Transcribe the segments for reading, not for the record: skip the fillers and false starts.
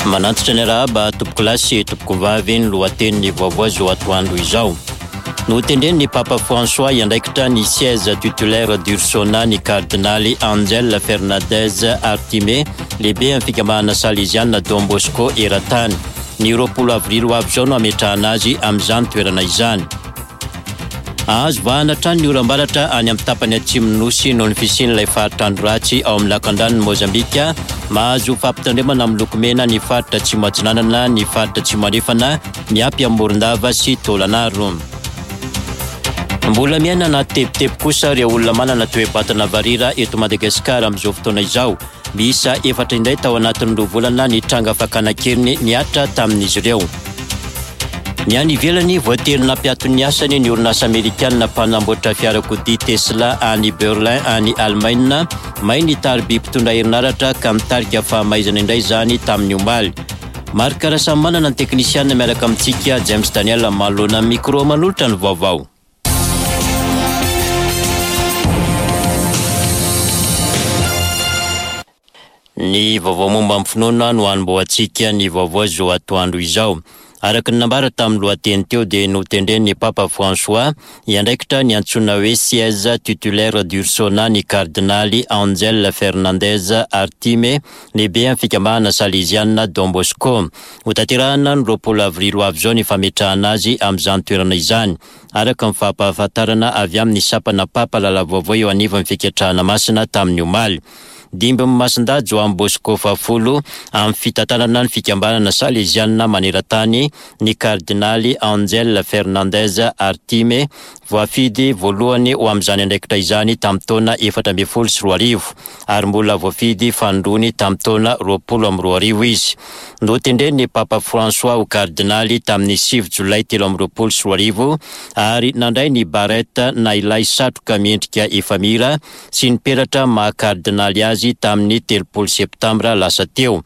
Manantitra ny arahaba tompokolahy sy tompokovavy ny lohatenin'ny vaovao izao atoandro izao. Notendren'ny Papa François hiandraikitra ny siège titulaire d'Ursona ny kardinaly Angel Fernandez Artime, lehibe amin'ny fikambanana Saleziana Don Bosco eran-tany. Ny 20 avrily ho avy izao no hametrahana azy amin'izany toerana izany. Hahazo vahana hatrany ny oram-baratra any amin'ny tapany atsimon'ny Nosy noho ny fisian'ilay faritra andro ratsy ao amin'ny lakandranon'i Mozambika. Mahazo fampitandremana miloko mena ny faritra atsimo atsinanana, ny faritra atsimo andrefana, miampy amin'i Morondava sy Taolagnaro. Mbola miaina anaty tebiteby kosa ireo olona manana toe-batana varira eto Madagasikara amin'izao fotoana izao. Miisa efatra indray tao anatin'ny roa volana ny tranga fakana an-keriny nihatra tamin'izy ireo. Ny any ivelany, voatery nampiato ny asany ny orinasa amerikanina mpanamboatra fiarakodia Tesla any Berlin any Alemaina. May ny tariby mpitondra herinaratra ka mitarika fahamaizana indray izany tamin'ny omaly. Marc Rasamimanana ny teknisianina miaraka amintsika, James Daniel manoloana ny micro manolotra ny vaovao. Ny vaovao momba ny finoana no hanombohantsika ny vaovao izao atoandro izao. Araka ny nambara tamin'ny lohateny teo dia notendren'ny Papa François hiandraikitra ny antsoina hoe siège titulaire d'Ursona ny kardinaly Angel Fernandez Artime, lehibe amin'ny fikambanana saleziana Don Bosco. Hotanterahina ny 20 avrily ho avy izao ny fametrahana azy amin'izany toerana izany. araka ny fampahafantarana avy amin'ny sampana Papa Lala-Vaovao eo anivon'ny Fiketrahana Masina tamin'ny omaly. Dimbin'i Masindahy Joany Bosco fahafolo amin'ny fitantanana ny fikambanana Salezianina maneran-tany ny kardinaly Angel Fernandez Artime, voafidy voalohany ho amin'izany andraikitra izany tamin'ny taona 2014 ary mbola voafidy fanindroany tamin'ny taona 2020 izy. Notendren'ny Papa François ho kardinaly tamin'ny 9 jolay 2023 ary nandray ny barrette na ilay satroka miendrika efamira sy ny peratra maha kardinaly azy tamin'ny 30 septambra lasa teo.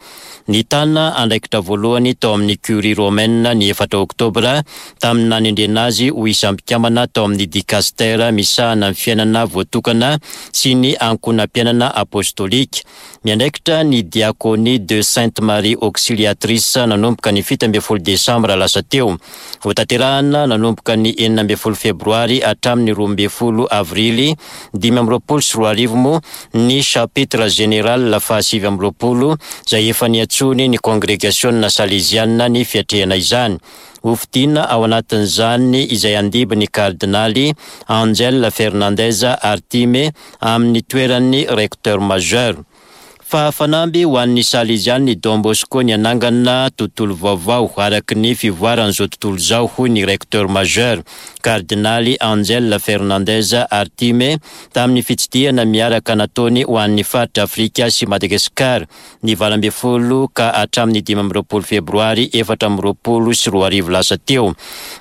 Nitana andraikitra voalohany tao amin'ny Curie romaine ny 4 oktobra tamin'ny nanendrena azy ho isan'ny mpikambana tao amin'ny dikastera misahana ny fiainana voatokana sy ny ankohonam-piainana apostolika. Miandraikitra ny Diaconie de Sainte Marie Auxiliatrice nanomboka ny 17 desambra lasa teo. Hotanterahina nanomboka ny 16 febroary hatramin'ny 12 avrily 2025 moa ny Chapitre Général faha-29 izay efa niantsoany ny Kongregasiona Saleziana ny fiatrehana izany. Hofidiana ao anatin'izany izay handimby ny Kardinaly Angel Fernandez Artime amin'ny toeran'ny Recteur Majeur. Fa fanamby ho an'ny Salezian'ny Don Bosco ny hanangana tontolo vaovao araka ny fivoaran'izao tontolo izao, hoy ny Recteur Majeur, Kardinaly Angel Fernandez Artime, tamin'ny fitsidihana miaraka nataony ho an'ny faritra Afrika sy Madagasikara, ny 18 ka hatramin'ny 25 febroary 2024 lasa teo.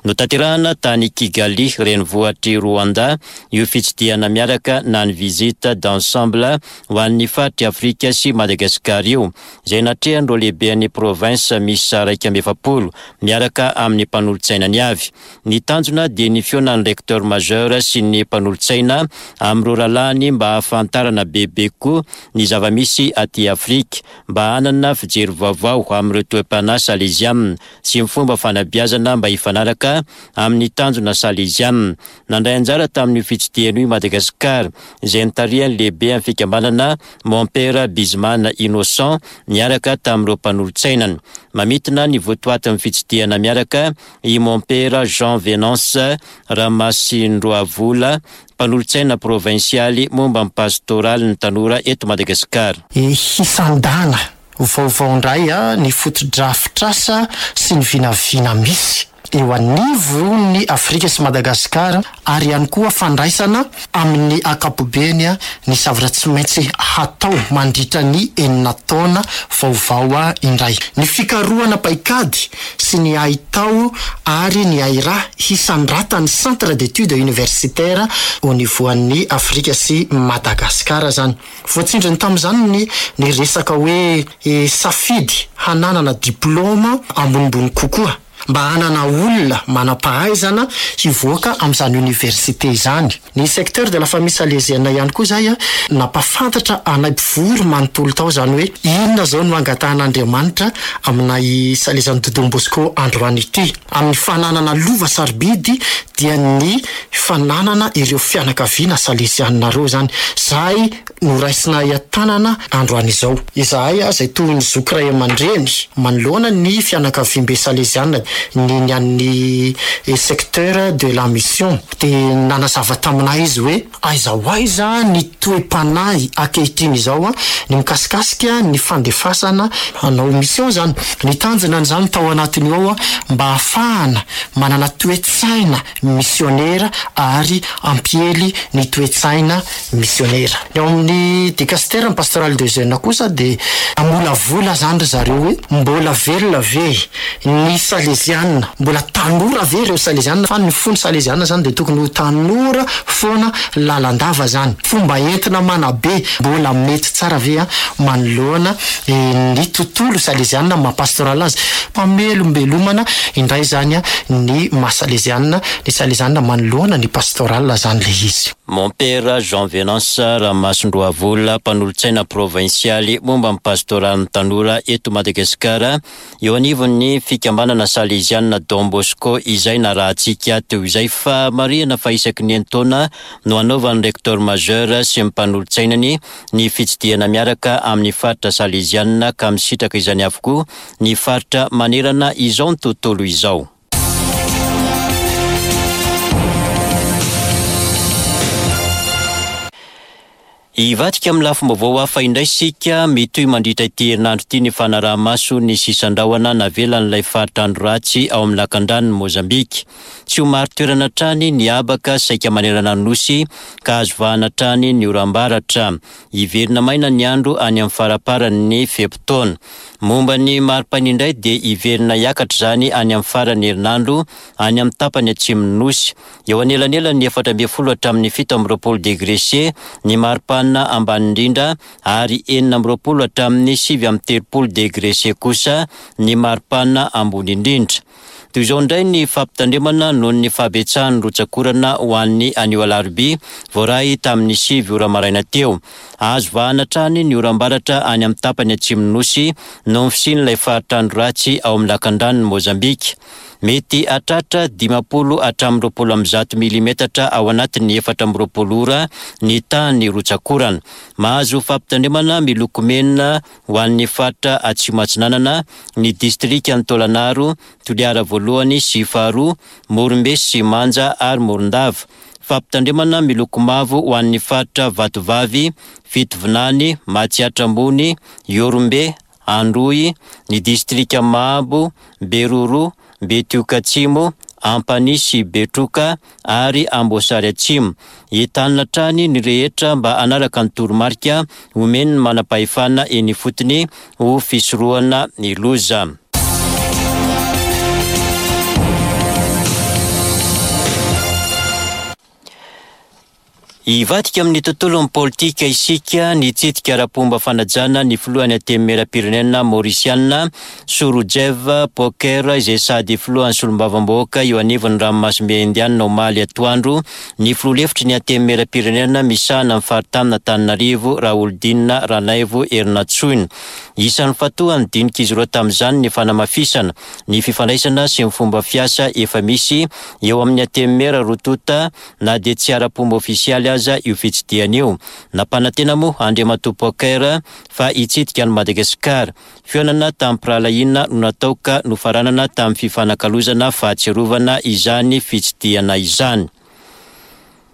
Notanterahana tany Kigali, renivohitr'i Rwanda, io fitsidihana miaraka na ny visite d'ensemble ho an'ny faritr'i Afrika sy Madagasikara io, izay natrehan'ireo lehiben'ny province miisa 41 miaraka amin'ny mpanolotsainany avy. Ny tanjona dia ny fihaonan'ny Recteur Majeur sy ny mpanolotsaina amin'ireo rahalahiny mba hahafantarana bebe kokoa ny zava-misy aty Afrika, mba hanana fijery vaovao amin'ireo toe-panahy salezianina sy ny fomba fanabeazana mba hifanaraka amin'ny tanjona salezianina. Nandray anjara tamin'io fitsidihana io i Madagasikara, izay notarihan'ny lehiben'ny fikambanana Mompera Bizimana Innocent niaraka tamin'ireo mpanolotsainany. Mamintina ny votoatin'ny fitsidihana miaraka i Mompera Jean Venance Ramasindroavola, mpanolotsaina provinsialy momba ny pastoralin'ny tanora eto Madagasikara. Hisandana vaovao indray ny fotodrafitrasa sy ny vinavina misy eo anivon'ny Afrika sy Madagasikara ary ihany koa fandraisana amin'ny ankapobeny ny zavatra tsy maintsy hatao mandritra ny enina taona vaovao indray. Ny fikarohana paikady sy ny haitao ary ny hairaha hisandratan'ny Centre d'études universitaires au niveau an'ny Afrika sy Madagasikara izany. Voatsindriny tamin'izany ny ny resaka hoe safidy hananana diplaoma ambonimbony kokoa. Mba hanana olona manam-pahaizana hivoaka amin'izany oniversite izany. Ny secteur de la famille salésienne ihany koa izay nampahafantatra anay mpivory manontolo tao izany hoe inona izao no angatahan'Andriamanitra aminay Salesian'i Don Bosco androany ity. Amin'ny fananana lova sarobidy dia ny fananana ireo fianakaviana salesianina ireo izany. Izay Noraisinay an-tanana androany izao. Izahay izay toy ny zoky ray aman-dreny manoloana ny fianakaviambe saleziana ny ny an'ny secteur de la mission dia nanazava taminay izy hoe aiza ho aiza ny toe-panahy ankehitriny izao ny mikasikasika ny fandefasana hanao mission izany. Ny tanjona an'izany tao anatin'io ao mba hahafahana manana toe-tsaina misionera ary hampiely ny toe-tsaina misionera. Ny ao amin'ny Dicastère ny Pastorale des Jeunes kosa dia namolavola izany ry zareo hoe mbola velona ve ny Saleziana, mbola tanora ve ireo Saleziana fa ny fon'ny Saleziana izany dia tokony ho tanora foana lalandava izany. Fomba entina manabe mbola mety tsara ve manoloana ny tontolo saleziana maha pastoral azy. Famelombelomana indray izany ny maha saleziana ny saleziana manoloana ny pastoral izany ilay izy. Mompera Jean Venance Ramasindroavola, mpanolotsaina provinsialy momba ny pastoralin'ny tanora eto Madagasikara, eo anivon'ny fikambanana salezianina Don Bosco izay narahantsika teo izay. Fa marihana fa isaky ny enin-taona no hanaovan'ny Recteur Majeur sy ny mpanolotsainany ny fitsidihana miaraka amin'ny faritra salezianina ka misitraka izany avokoa ny faritra manerana izao tontolo izao. Hivadika amin'ny lafim-baovao hafa indray isika, mitohy mandritra ity herinandro ity ny fanaraha-maso ny sisan-drahona navelan'ilay faritra andro ratsy ao amin'ny lakandranon'i Mozambika. Tsy ho marin-toerana hatrany ny habaka saika manerana ny Nosy ka azo vahana hatrany ny oram-baratra. Hiverina maina ny andro any amin'ny faramparan'ny fe-potoana. Momba ny maripana indray dia hiverina hiakatra izany any amin'ny faran'ny herinandro any amin'ny tapany atsimon'ny Nosy. Eo anelanelan'ny 14 hatramin'ny 27 degre C ny maripana ambany indrindra ary 26 hatramin'ny 39 degre C kosa ny maripana ambony indrindra. Toy izao indray ny fampitandremana noho ny fahabetsahan'ny rotsak'orana ho an'ny anio alarobia, voaray tamin'ny 9 ora maraina teo. Azo vahana hatrany ny oram-baratra any amin'ny tapany atsimon'ny Nosy noho ny fisian'ilay faritra andro ratsy ao amin'ny lakandranon'i Mozambika. Mety hahatratra 50 hatramin'ny 120 milimetatra ao anatin'ny 24 ora ny tahan'ny rotsak'orana. Mahazo fampitandremana miloko mena Ho an'ny faritra Atsimo Atsinanana, ny distrikan'i Taolagnaro, Toliara voalohany sy faharoa, Morombe sy Manja ary Morondava. Fampitandremana miloko mavo ho an'ny faritra Vatovavy, Fitovinany, Matsiatra Ambony, Ihorombe, Androy, ny distrika Mahabo, Beroroha, Betioky Atsimo, Ampanihy sy Betroka ary Amboasary Atsimo. Entanina hatrany ny rehetra mba hanaraka ny toromarika omen'ny manam-pahefana eny ifotony ho fisorohana ny loza. Hivadika amin'ny tontolon'ny politika isika, nitsidika ara-pomba fanajana ny filohan'ny Antenimierampirenena Maorisiana, Surujev Poker, izay sady filohan'ny solombavambahoaka eo anivon'ny ranomasimbe Indiana omaly atoandro, ny filoha lefitry ny Antenimierampirenena misahana ny faritanin'Antananarivo, Raholidinina Ranaivo Herinantsoina. Isan'ny fatohan'ny dinik'izy ireo tamin'izany ny fanamafisana ny fifandraisana sy ny fomba fiasa efa misy eo amin'ny Antenimiera roa tonta na dia tsy ara-pomba ofisialy aza io fitsidihana io. Nampanantena moa Andriamatoa Poker fa hitsidika an'i Madagasikara. Fihaonana tamim-pirahalahiana no natao ka nofaranana tamin'ny fifanakalozana fahatsiarovana izany fitsidihana izany.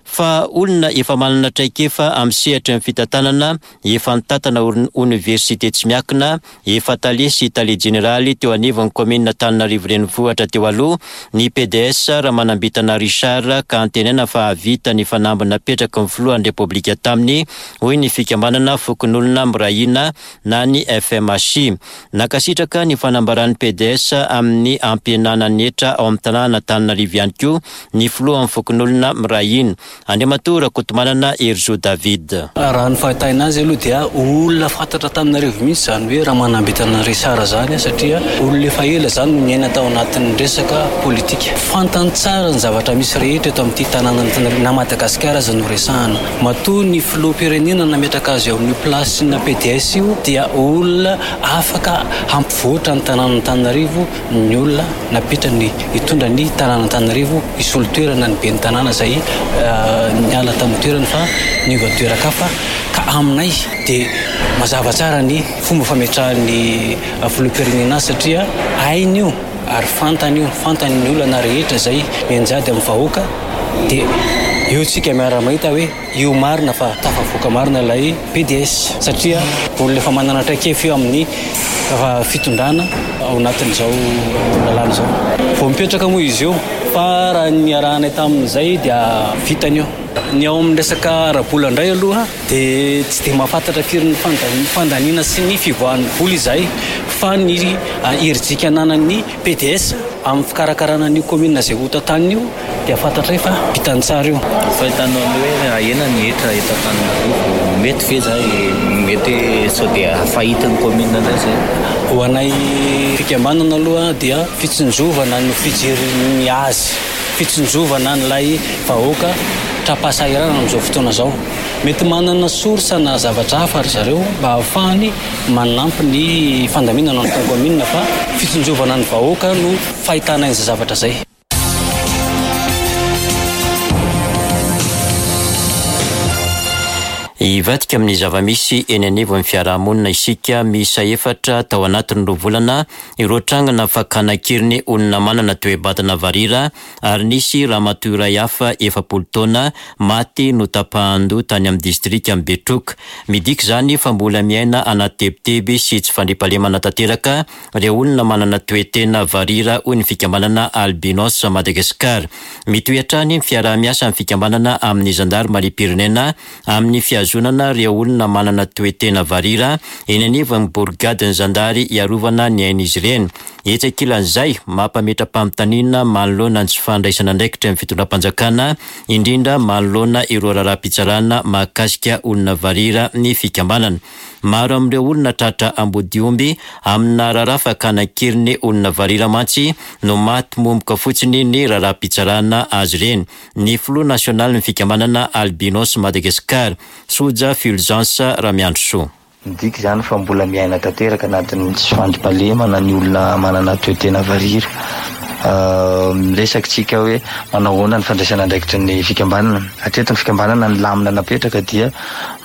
Fa olona efa manana traikefa amin'ny sehatry ny fitantanana, efa nitantana oniversite tsy miankina, efa tale sy tale jeneraly teo anivon'ny kaominina Antananarivo Renivohitra teo aloha, ny pds Ramanambintana Richard ka antenaina fa hahavita ny fanamby napetraky ny filohan'ny Repoblika taminy, hoy ny fikambanana Fokonolona Miray Hina na ny FMHI. Nankasitraka ny fanambaran'ny pds amin'ny hampihenana ny hetra ao amin'ny tanànan'Antananarivo ihany koa ny filohan'ny fokonolona Miray Hina. Andriamatoa Rakotomanana Herizo David. Raha ny fahitana azy aloha dia olona fantatra Antananarivo mihitsy izany hoe Ramanambintana Richard izany satria olona efa ela izany no niaina tao anatin'ny resaka politika. Fantany tsara ny zavatra misy rehetra eto amin'ity tanànan'Antananarivo na Madagasikara aza no resahana. Matoa ny filoham-pirenena nametraka azy ao amin'io place-na pds io dia olona afaka hampivoatra ny tanànan'Antananarivo ny olona napetrany hitondra ny tanàn'Antananarivo hisolo toerana ny ben'ny tanàna izay niala tamin'ny toerany fa niova toeran-kafa ka aminay dia mazava tsara ny fomba fametrahan'ny filoham-pirenena azy satria hainy io ary fantany io, fantany ny olana rehetra izay mianjady amin'ny vahoaka dia eo tsika miara-mahita hoe Io marina fa tafavoaka marina ilay pds satria olona efa manana traikefa io amin'ny fitondrana ao anatin'izao lalàna izao. Vao mipetraka moa izy io fa raha ny niarahanay tamin'izay dia vitany io. Ny ao amin'ny resaka ara-bola indray aloha dia tsy dia mahafantatra firy ny fandaniana sy ny fivoahan'ny vola izahay fa ny herijika ananan'ny pds amin'ny fikarakarana an'io commune izay hotantaniny io Dia fantatray fa vitany tsara io. Fahitanao ny hoe ahena ny hetra eto Antananarivo, mety ve zay? Mety hoe sao dia fahitin'ny commune indray zay? Ho anay fikambanana aloha dia fitsinjovana no fijeriny azy, fitsinjovana an'ilay vahoaka tra-pahasahiranana amin'izao fotoana izao. Mety manana source na zavatra hafa ry zareo mba ahafahany manampy ny fandaminana ny kaominina fa fitsinjovana ny vahoaka no fahitana an'izay zavatra izay. Hivadika amin'ny zava-misy eny anivon'ny fiarahamonina isika. Miisa efatra tao anatin'ny roa volana ireo trangana fakana an-keriny olona manana toe-batana varira ary nisy ramatoa iray hafa 40 taona maty notapahan-doha tany amin'ny distrikan'i Betroka. Midika izany fa mbola miaina anaty tebiteby sy tsy fandriampahalemana tanteraka Ireo olona manana toe-tena varira hoy ny fikambanana Albinos Madagascar. Mitohy hatrany ny fiaraha-miasa ny fikambanana amin'ny zandarimariam-pirenena amin'ny fihazonana ireo olona manana toe-tena varira eny anivon'ny borigadin'ny zandary hiarovana ny ain'izy ireny. Etsy ankilan'izay, mampametra-panontaniana manoloana ny tsy fandraisana andraikitra ny fitondram-panjakana, indrindra manoloana ireo raharaham-pitsarana mahakasika olona varira ny fikambanana. Maro amin'ireo olona tratra ambodiomby amina raharaha fakana an-keriny olona varira mantsy no maty momoka fotsiny ny raharaham-pitsarana azy ireny. Ny filoha nasionalin'ny fikambanana Albinos Madagascar, Soja Fulgence Ramiandrisoa. Midika izany fa mbola miaina tanteraka anatin'ny tsy fandriampahalemana ny olona manana toe-tena varira. Miresaka isika hoe manao ahoana ny fandraisana andraikitry ny fikambanana. Hatreto ny fikambanana ny lamina napetraka dia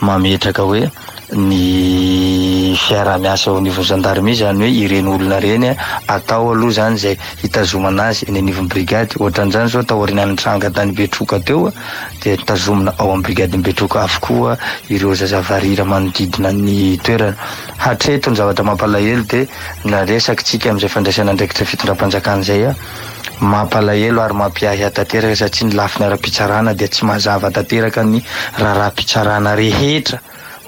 mametraka hoe ny fiaraha-miasa eo anivon'ny gendarmerie, izany hoe ireny olona ireny atao aloha izany izay hitazomana azy eny anivon'ny brigade. Ohatran'izany izao taorian'ny nitranga tany Betroka teo dia tazomina ao amin'ny brigadin'i Betroka avokoa ireo zaza varira manodidina ny toerana. Hatreto ny zavatra mampalahelo dia naresaka tsika amin'izay fandraisana andraikitra fitondram-panjakana izay. Mampalahelo ary mampiahiahy tanteraka satria ny lafiny ara-pitsarana dia tsy mazava tanteraka ny raharaham-pitsarana rehetra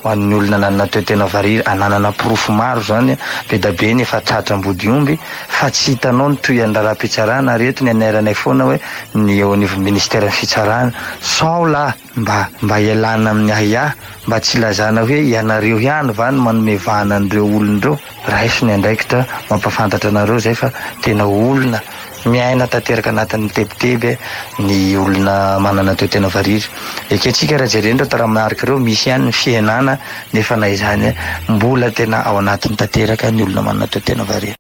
ho an'ny olona nanana toe-tena varira, ananana porofo maro izany, be da be ny efa tratra ambodiomby fa tsy hitanao ny tohian'ny raharaham-pitsarana ary eto ny anairanay foana hoe ny eo anivon'ny ministeran'ny fitsarana sao lahy Mba mba ialana amin'ny ahiahy, mba tsy ilazana hoe ianareo ihany va no manome vahana an'ireo olona ireo? Raiso ny andraikitra mampahafantatra anareo izay fa tena olona miaina tanteraka anatin'ny tebiteby ny olona manana toe-tena varira. Ekentsika raha jerena ireo taramarika ireo, misy ihany ny fihenana nefa na izany mbola tena ao anatiny tanteraka ny olona manana toe-tena varira.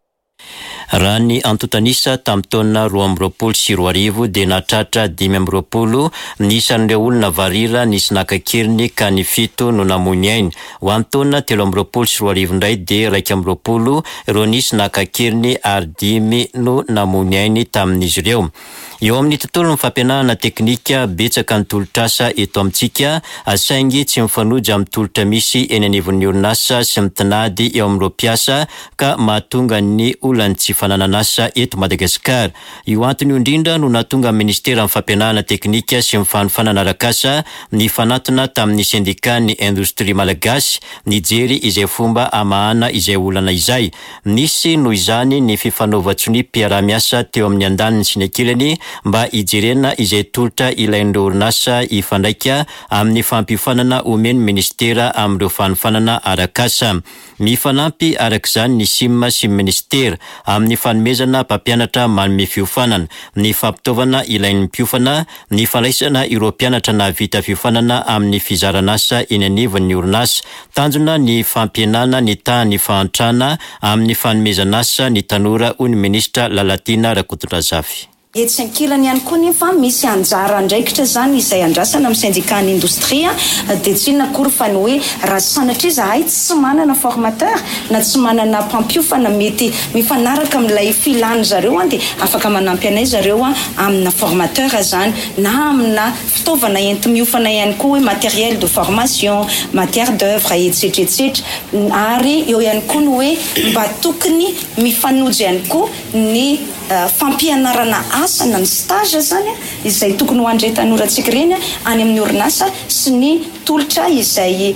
Raha ny antontan'isa tamin'ny taona 2022 dia nahatratra 25 ny isan'ireo olona varira nisy naka an-keriny ka ny fito no namoy ny ainy. Ho an'ny taona 2023 indray dia 21 ireo nisy naka an-keriny ary dimy no namoy ny ainy tamin'izy ireo. Eo amin'ny tontolon'ny fampianarana teknika, betsaka ny tolotr'asa eto amintsika, saingy tsy mifanojo amin'ny tolotra misy eny anivon'ny orinasa sy ny tinady eo amin'ireo mpiasa ka mahatonga ny olan'ny tsy fananan'asa eto Madagasikara. Io antony io indrindra no nahatonga ny Ministeran'ny Fampianarana teknika sy ny fanofanana arak'asa nifanatona tamin'ny sendikan'ny Indostria Malagasy nijery izay fomba hamahana izay olana izay. Nisy noho izany ny fifanaovan-tsoniam-piaraha-miasa teo amin'ny andaniny sy ny ankilany mba hijerena izay tolotra ilain'ireo orinasa hifandraika amin'ny fampiofanana omen'ny minisitera amin'ireo fanofanana arak'asa. Mifanampy araka izany ny Sim sy ny minisitera amin'ny fanomezana mpampianatra manome fiofanana, ny fampitaovana ilain'ny mpiofana, ny fandraisana ireo mpianatra nahavita fiofanana amin'ny fizaran'asa eny anivon'ny orinasa. Tanjona ny fampihenana ny tahan'ny fahantrana amin'ny fanomezan'asa ny tanora, hoy ny minisitra Lalatiana Rakotondrazafy. Etsy ankilany ihany koa nefa misy anjara andraikitra izany izay andrasana amin'ny syndicat-n'ny indostria dia tsy inona akory fa ny hoe raha sanatria izahay tsy manana formateur na tsy manana mpampiofana mety mifanaraka amin'ilay filan'ny zareo dia afaka manampy anay zareo amina formateur izany na amina fitaovana enti-miofana ihany koa hoe matériel de formation, matière d'oeuvre etsetra etsetra ary eo ihany koa ny hoe mba tokony mifanojo ihany koa ny fampianarana asa na ny stage izany izay tokony ho an'ireny tanorantsika ireny any amin'ny orinasa sy ny tolotra izay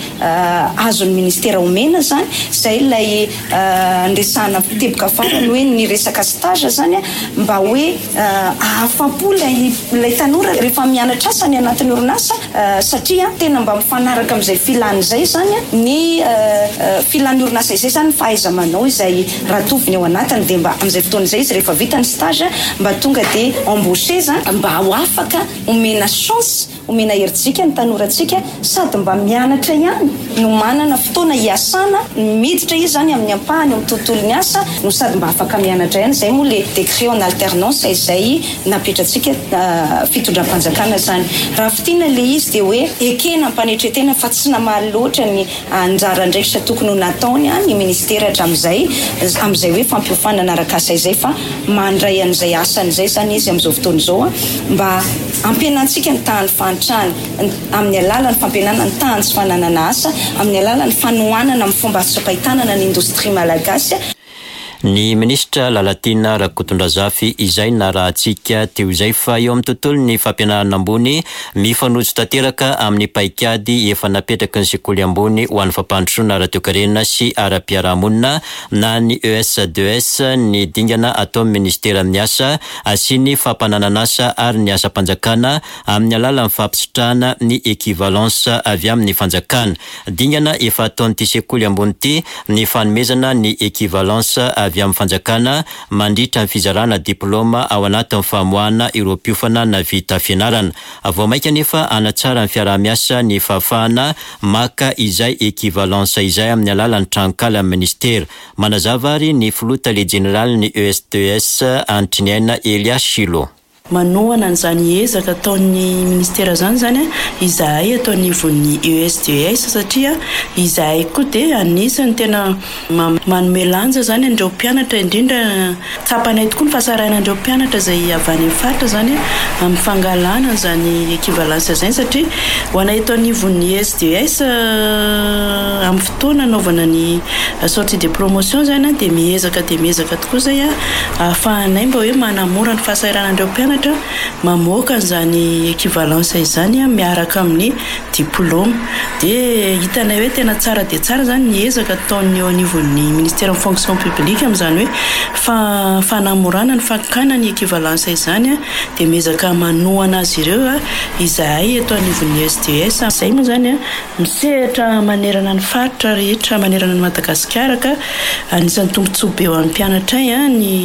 azon'ny ministera omena izany, izay ilay niresahana teboka farany hoe ny resaka stage izany mba hoe ahafapo ilay ilay tanora rehefa mianatra asa any anatin'ny orinasa satria tena mba mifanaraka amin'izay filany izay izany ny filan'ny orinasa izay izany ny fahaiza-manao izay ratoviny ao anatiny dia mba amin'izay fotoana izay izy rehefa vita ny stage mba tonga dia embauché zany mba ho afaka omena chance omena herijika ny tanorantsika sady mba mianatra ihany no manana fotoana hiasana miditra izy zany amin'ny ampahany eo amin'ny tontolon'ny asa no sady mba afaka mianatra ihany izay moa le décret en alternance izay napetratsika fitondram-panjakana zany raha fintinina le izy dia hoe ekena am-panetretena fa tsy namaly loatra ny Anjara andraikitra tokony ho nataony ny ministera hatramin'izay amin'izay hoe fampiofanana arak'asa izay fa mandray an'izay asany izay izany izy amin'izao fotoana izao mba hampihenantsika ny tahan'ny fahantrana amin'ny alalan'ny fampihenana ny tahan'ny tsy fananana asa amin'ny alalan'ny fanohanana amin'ny fomba azo tsapain-tanana ny indostria malagasy. Ny minisitra Lalatiana Rakotondrazafy izay narahantsika teo izay fa eo amin'ny tontolon'ny fampianarana ambony, mifanojo tanteraka amin'ny paikady efa napetraky ny sekoly ambony ho an'ny fampandrosoana ara-toekarena sy ara-piarahamonina na ny ES2S ny dingana ataon'ny minisiteran'ny asa sy ny fampananan'asa ary ny asam-panjakana amin'ny alalan'ny fampisitrahana ny equivalence avy amin'ny fanjakana. Dingana efa ataon'ity sekoly ambony ity ny fanomezana ny equivalence avy amin'ny fanjakana mandritra ny fizarana diplaoma ao anatin'ny famoahana ireo mpiofana navita fianarana. Vao mainka anefa hanatsara ny fiaraha-miasa ny fahafahana maka izay equivalence izay amin'ny alalan'ny tranonkalan'ny minisitera. Manazava ary ny filoha tale jeneralin'ny ESTS Antriniaina Elia Shilo. Manohana an'izany ezaka ataon'ny Ministera izany izany izahay eto anivon'ny ESDS satria izahay koa dia anisan'ny tena manome lanja izany an'ireo mpianatra indrindra tsapanay tokoa ny fahasahiranan'ireo mpianatra izay avy any amin'ny faritra izany amin'ny fangalana an'izany equivalence izany satria ho anay eto anivon'ny ESDS amin'ny fotoana anaovana ny sortie de promotion izany dia miezaka dia miezaka Koa izay ahafahanay mba hoe manamora ny fahasahiranan'ireo mpianatra mamoaka an'izany equivalence izany miaraka amin'ny diplaoma. Dia hitanay hoe tena tsara dia tsara izany ny ezaka ataon'ny eo anivon'ny ministeran'ny fonction publique amin'izany hoe fanamorana ny fakana ny equivalence izany dia miezaka manohana azy ireo izahay eto anivon'ny SDES. Izay moa izany Misehatra manerana ny faritra rehetra manerana an'i Madagasikara ka anisan'ny tombontsoa be ho an'ny mpianatray ny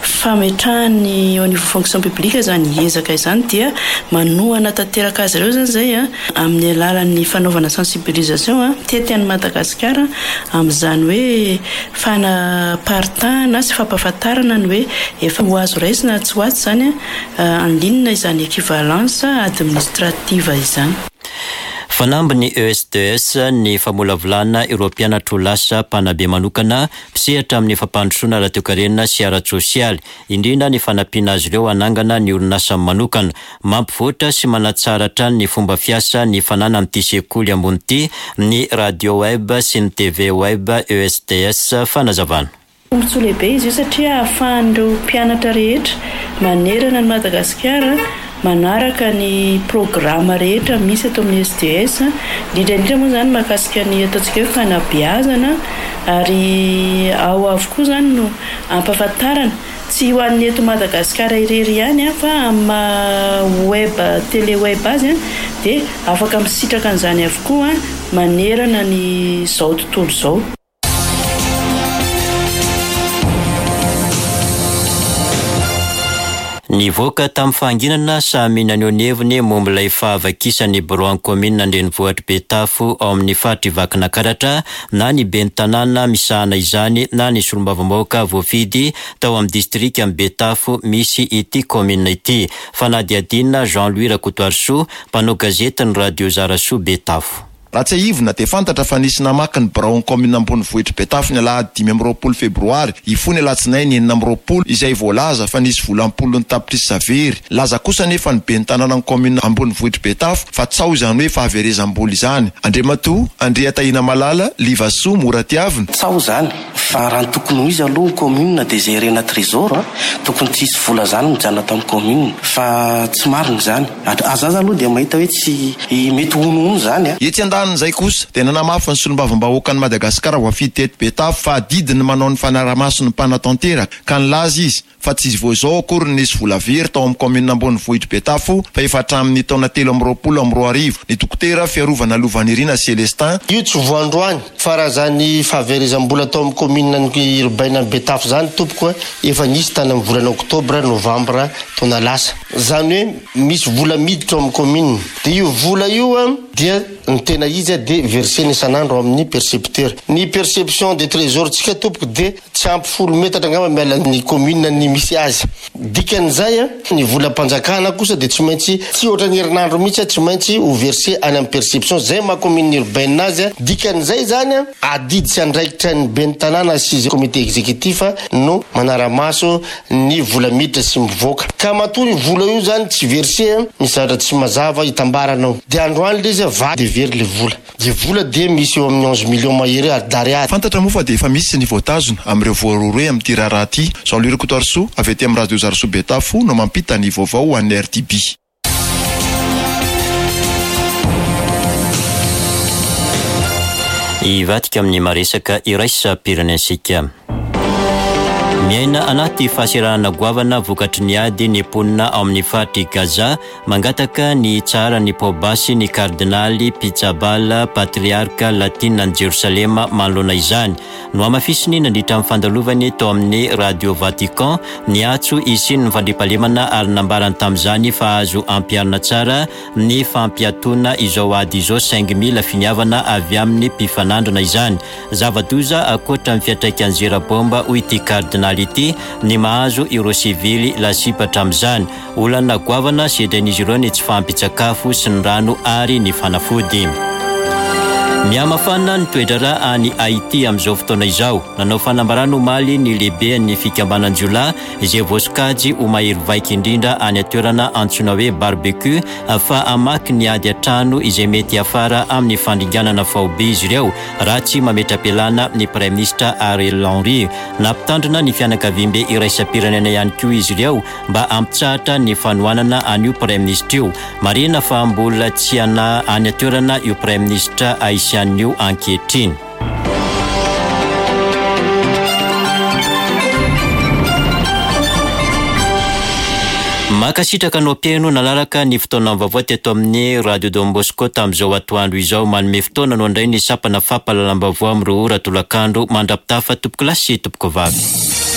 fametrahan'ny eo anivon'ny fonction publique izany ezaka izany dia manohana tanteraka azy ireo izany izay amin'ny alalan'ny fanaovana sensibilisation mitety an'i Madagasikara amin'izany hoe fanaparitahana sy fampahafantarana ny hoe efa ho azo raisina atsy ho atsy izany en ligne izany equivalence administrative izany. Fanamby ny ESDS ny famolavolana ireo mpianatra ho lasa mpanabe manokana mpisehatra amin'ny fampandrosoana ara-toekarena sy ara-tsosialy, indrindra ny fanampiana azy ireo hanangana ny orinasany manokana. Mampivoatra sy manatsara hatrany ny fomba fiasa ny fananan'ity sekoly ambony ity ny Radio Web sy ny TV Web ESDS. Fanazavana. Tombontsoa lehibe izy io satria ahafahan'ireo mpianatra rehetra manerana an'i Madagasikara manaraka ny programa rehetra misy eto amin'ny SDES, indrindra indrindra moa izany mahakasika ny ataontsika hoe fanabeazana ary ao avokoa izany no ampahafantarana. Tsy ho an'ny eto Madagasikara irery ihany fa amin'ny maha web tele web azy dia afaka misitraka an'izany avokoa manerana ny izao tontolo izao. Nivoaka tamin'ny fahanginana samy naneho ny heviny momba ilay fahavakisan'ny biraon'ny kaominina an-drenivohitr'i Betafo ao amin'ny faritr'i Vakinakaratra na ny ben'ny tanàna misahana izany na ny solombavambahoaka voafidy tao amin'ny distrikan'i Betafo misy ity kaominina ity. Fanadihadiana Jean Louis Rakotoarisoa, mpanao gazetin'ny Radio Zarasoa Betafo. Raha tsiahivina dia fantatra fa nisy namaky ny biraon'ny kaominina ambonivohitr'i Betafo ny alahady 25 febroary hifoha ny alatsinainy 26 izay voalaza fa nisy vola am-polony tapitrisa very. Nilaza kosa anefa ny ben'ny tanànan'ny kaominina ambonivohitr'i Betafo fa tsaho izany hoe fahaverezam-bola izany. Andriamatoa Andriatahinamalala Livasoa Moratiavina. Tsaho izany fa raha ny tokony ho izy aloha ny commune dia gérer-na trésor a, tokony tsy hisy vola zany mijanona tao amin'ny commune fa tsy marina izany. Aza aloha dia mahita hoe tsy mety honohono izany a. Etsy andanin'izay kosa dia nanamafy ny solombavambahoakan'i Madagasikara voafidy teto Betafo fa adidiny ny manao ny fanarahamaso ny mpanatanteraka ka nilaza izy fa tsy vao izao akory no nisy vola very tao amin'ny kaominina ambonivohitr'i Betafo fa efa hatramin'ny taona 2023. Ny dokotera Fiarovana Lovanirina Celestin. Io tsy voa androany fa raha zany fahaverezam-bola tao amin'ny kaominina urbaine an'i Betafo zany tompoko efa nisy tany amin'ny volana oktobra, novambra taona lasa. Zany hoe misy vola miditra ao amin'ny kaominina dia io vola io dia ny tena izy dia versena isan'andro ao amin'ny percepteur. Ny perception de trésor tsika tompoko dia Tsy ampy folo metatra angamba miala ny commune ny misy azy. Dikan'izay, ny volam-panjakana kosa dia tsy maintsy, tsy ohatran'ny herinandro mihitsy, tsy maintsy ho verser any amin'ny perception. Izay maha commune urbaine azy. Dikan'izay izany, adidy sy andraikitra ny ben'ny tanàna sy izay comité exécutif no manara-maso ny vola miditra sy mivoaka. Ka matoa io vola io izany tsy verser, misy zavatra tsy mazava itambarana ao. Dia androany ilay izy, vaky dia very ilay vola. Ny vola dia misy eo amin'ny 11 millions mahery d'ariary. Fantatra moa fa dia efa misy ny voatazona amin'ireo voarohirohy amin'ity raharaha ity. Jean Louis Rakotoarisoa avy aty amin'ny Radio Zarasoa Betafo no mampita ny vaovao ho an'ny RTB. Hivadika amin'ny maresaka iraisam-pirenentsika. Miaina anaty fahasahiranana goavana vokatry ny ady ny mponina ao amin'ny faritr'i Gaza. Mangataka ny hitsaharan'ny paobasy ny kardinaly Pizzaballa, patriarka latina any Jerosalema manoloana izany. Nohamafisiny nandritra ny fandalovany tao amin'ny Radio Vatican ny antso hisian'ny fandriampahalemana ary nambarany tamin'izany fa azo ampiharina tsara ny fampiatoana izao ady izao saingy mila finiavana avy amin'ny mpifanandrina izany. Zava-doza ankoatra ny fiantraikan'ny zera baomba hoy ity kardinaly ity ny mahazo ireo sivily lasibatra amin'izany. Olana goavana sedrain'izy ireo ny tsy fahampian-tsakafo sy ny rano ary ny fanafody. Mihamafana ny toe-draharaha any Haiti amin'izao fotoana izao. Nanao fanambarana omaly ny lehiben'ny fikambanan-jiolahy izay voasokajy ho mahery vaika indrindra any an-toerana antsoina hoe Barbecue fa hamaky ny ady an-trano izay mety hiafara amin'ny fandringanana faobe izy ireo raha tsy mametra-pialana ny Praiminisitra Ariel Henry. Nampitandrina ny fianakaviambe iraisam-pirenena ihany koa izy ireo mba hampitsahatra ny fanohanana an'io Praiminisitra io. Marihina fa mbola tsy any an-toerana io Praiminisitra Haisianina io ankehitriny. Mankasitraka anao mpihaino nanaraka ny fotoana vaovao teto amin'ny Radio Don Bosco tamin'izao atoandro izao. Manome fotoana anao indray ny sampana fampahalalam-baovao amin'ireo ora tolakandro mandra-pitafa tompokolahy sy tompokovavy.